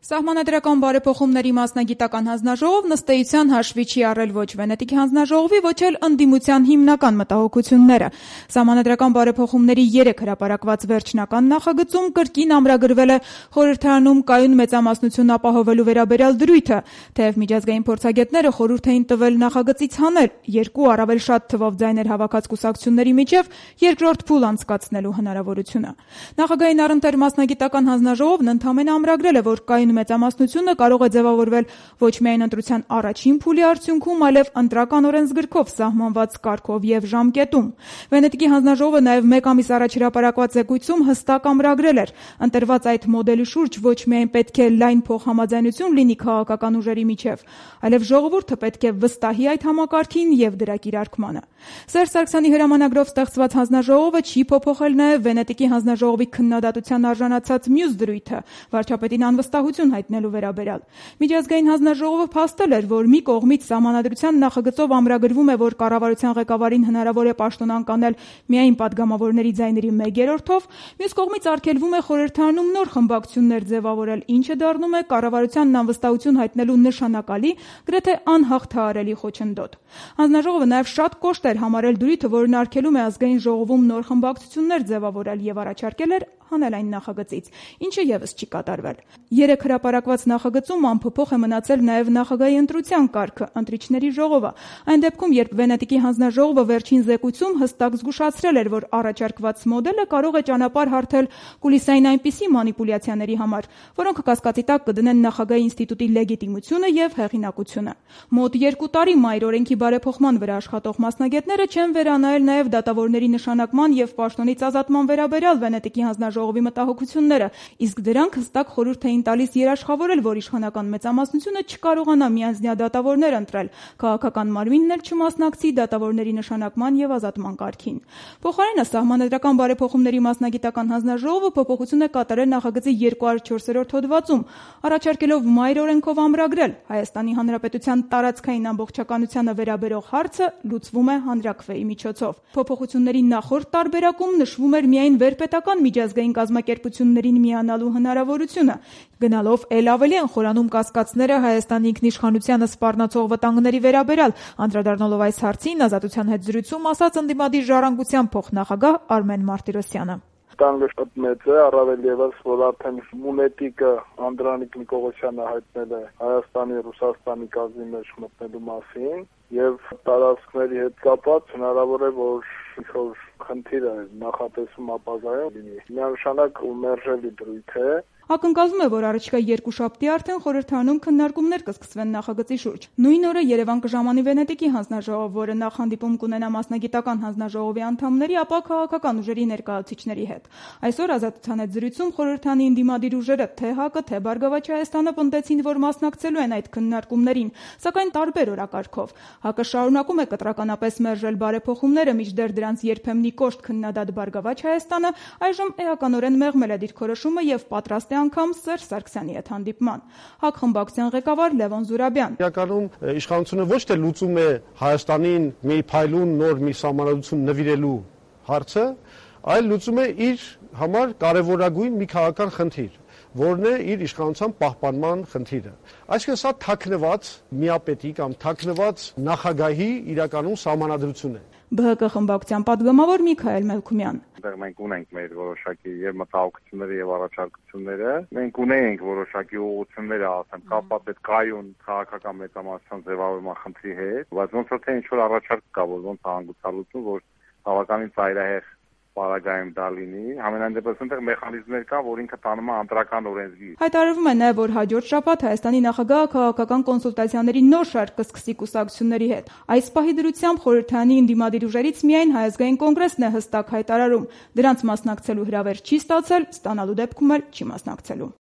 Սահմանադրական բարեփոխումների մասնագիտական հանձնաժողով ըստ էության հաշվի չի առել ոչ Վենետիկի հանձնաժողովի, ոչ էլ ընդդիմության հիմնական մտահոգությունները։ Սահմանադրական բարեփոխումների 3 հրապարակված վերջնական նախագծում կրկին ամրագրվել է խորհրդարանում կայուն մեծամասնություն ապահովելու վերաբերյալ դրույթը, թեև միջազգային փորձագետները խորհուրդ էին տվել նախագծից հանել 2 առավել շատ թվով ձայներ հավաքած կուսակցությունների միջև երկրորդ փուլ անցկացնելու հնարավորությունը։ Նախագահային առընթեր մասնագիտական հանձնաժողովն ընդամենը ամրագրել է, որ կայուն մեծամասնությունը կարող է ձևավորվել ոչ միայն ընտրության առաջին փուլի արդյունքում, այլև ընտրական օրենսգրքով սահմանված կարգով եւ ժամկետում։ Վենետիկի հանձնաժողովը նաեւ 1 ամիս առաջ հրապարակված զեկույցում հստակ ամրագրել էր, ընտրված այդ մոդելի շուրջ ոչ միայն պետք է լայն փոխհամաձայնություն լինի քաղաքական ուժերի միջև, այլև ժողովուրդը պետք է վստահի այդ համակարգին եւ դրա կիրարկմանը։ Սերժ Սարգսյանի հրամանագրով ստեղծված հանձնաժողովը չի փոփոխել նաեւ Վենետիկի հանձնաժողովի քննադատության արժանացած մյուս դրույթը՝ վարչապետին անվստահություն հայտնելու վերաբերյալ։ Միջազգային հանձնաժողովը փաստել էր, որ մի կողմից սահմանադրության նախագծով ամրագրվում է, որ կառավարության ղեկավարին հնարավոր է պաշտոնանկ անել միայն падգամավորների ձայների 1/3-ով, մյուս կողմից արգելվում է խորհրդարանում նոր խմբակցություններ ձևավորել, ինչը դառնում է կառավարությանն անվստահություն հայտնելու նշանակալի, գրեթե անհաղթահարելի խոչընդոտ։ Հանձնաժողովը նաև շատ կոշտ էր համարել դրույթը, որն արգելում է ազգային ժողովում նոր խմբակցություններ ձևավորել եւ առաջարկել էր հանել այն նախագծից, ինչը եւս չի կատարվել։ 3 հրապարակված նախագծում անփոփոխ է մնացել նաև նախագահի ընտրության կարգը, ընտրիչների ժողովը։ Այն դեպքում, երբ Վենետիկի հանձնաժողովը վերջին զեկույցում հստակ զգուշացրել էր, որ առաջարկված մոդելը կարող է ճանապարհ հարթել կուլիսային այնպիսի մանիպուլյացիաների համար, որոնք կասկածի տակ կդնեն նախագահի ինստիտուտի լեգիտիմությունը եւ հեղինակությունը։ Մոտ 2 տարի մայր օրենքի բարեփոխման վրա աշխատող մասնագետները չեն վերանայել նաև դատավորների նշանակման եւ պաշտոնից ազատման վերաբերյալ Վենետիկի հանձնաժողովի մտահոգությունները, իսկ դրանք հստակ խորհուրդ էին տալիս երաշխավորել, որ իշխանական մեծամասնությունը չկարողանա միանձնյա դատավորներ ընտրել, քաղաքական մարմինն էլ չմասնակցի դատավորների նշանակման եւ ազատման կարգին։ Փոխարենը սահմանադրական բարեփոխումների մասնագիտական հանձնաժողովը փոփոխություն է կատարել նախագծի 204-րդ հոդվածում, առաջարկելով մայր օրենքով ամրագրել Հայաստանի Հանրապետության տարածքային ամբողջականությանը վերաբերող հարցը լուծվում է հանրաքվեի միջոցով։ Փոփոխությունների նախորդ տարբերակում նշվում էր միայն վերպետական միջազգային կազմակերպություններին միանալու հնարավորությունը, գնալով էլ ավելի են խորանում կասկածները Հայաստանի ինքնիշխանությանը սպառնացող վտանգների վերաբերյալ, անդրադառնալով այս հարցին Ազատության հետ զրույցում ասաց ընդդիմադիր ժառանգության փոխնախագահ Արմեն Մարտիրոսյանը։ Վտանգը շատ մեծ է, առավել եւս, որ արդեն Մունետիկը Անդրանիկ Նիկողոսյանը հայտնել է Հայաստանի Ռուսաստանի կազմի մեջ մտնելու մասին եւ տարածքների հետ կապված հնարավոր է, որ ինչ-որ խնդիրը նախատեսում ապազայում լինի։ Միանշանակ ու մերժելի դրույթ է։ Ակնկալվում է, որ առաջիկա 2 շաբթի արդեն խորհրդարանում քննարկումներ կսկսվեն նախագծի շուրջ։ Նույն օրը Երևան կժամանի Վենետիկի հանձնաժողով, որը նախ հանդիպում կունենա մասնագիտական հանձնաժողովի անդամների, ապա քաղաքական ուժերի ներկայացուցիչների հետ։ Այսօր Ազատության հետ զրույցում խորհրդանի ընդդիմադիր ուժերը թե ՀԱԿ-ը, թե Բարգավաճ Հայաստանը պնդեցին, որ մասնակցելու են այդ քննարկումներին, սակայն տարբեր օրակարգով։ ՀԱԿ-ը շարունակում է կտրականապես մերժել բարեփոխումները, մինչդեռ դրանց երբեմնի կոշտ քննադատ Բարգավաճ Հայաստանը այժմ էականորեն մեղմել է դիրքորոշումը եւ պատրաստ է անգամ Սերժ Սարգսյանի հետ հանդիպման։ ՀԱԿ խմբակցության ղեկավար Լևոն Զուրաբյան։ Իրականում իշխանությունը ոչ թե լուծում է Հայաստանին մի փայլուն նոր մի սահմանադրություն նվիրելու հարցը, այլ լուծում է իր համար կարևորագույն մի քաղաքական խնդիր, որն է իր իշխանության պահպանման խնդիրը։ Այսինքն սա թաքնված միապետի կամ թաքնված նախագահի իրականում սահմանադրություն է։ ԲՀԿ խմբակցության պատգամավոր Միքայել Մելքումյան։ Մենք ունենք մեր որոշակի եւ մտահոգությունները եւ առաջարկությունները։ Մենք ունենք որոշակի ուղղություններ, ասեմ, կապված այդ կայուն քաղաքական մեծամասնության ձևավորման խնդրի հետ, բայց ոնց որ թե ինչ որ առաջարկ կա, որ ոնց է հանգուցալուծում, որ բավականին ծայրահեղ պարագայում դա լինի, համենայն դեպս այնտեղ մեխանիզմներ կա, որ ինքը տանում է ընտրական օրենսգիր։ Հայտարարվում է նաև, որ հաջորդ շաբաթ Հայաստանի նախագահը քաղաքական կոնսուլտացիաների նոր շարք կսկսի կուսակցությունների հետ։ Այս պահի դրությամբ խորհրդարանի ընդդիմադիր ուժերից միայն Հայ ազգային կոնգրեսն է հստակ հայտարարում, դրանց մասնակցելու հրավեր չի ստացել, ստանալու դեպքում էլ չի մասնակցելու։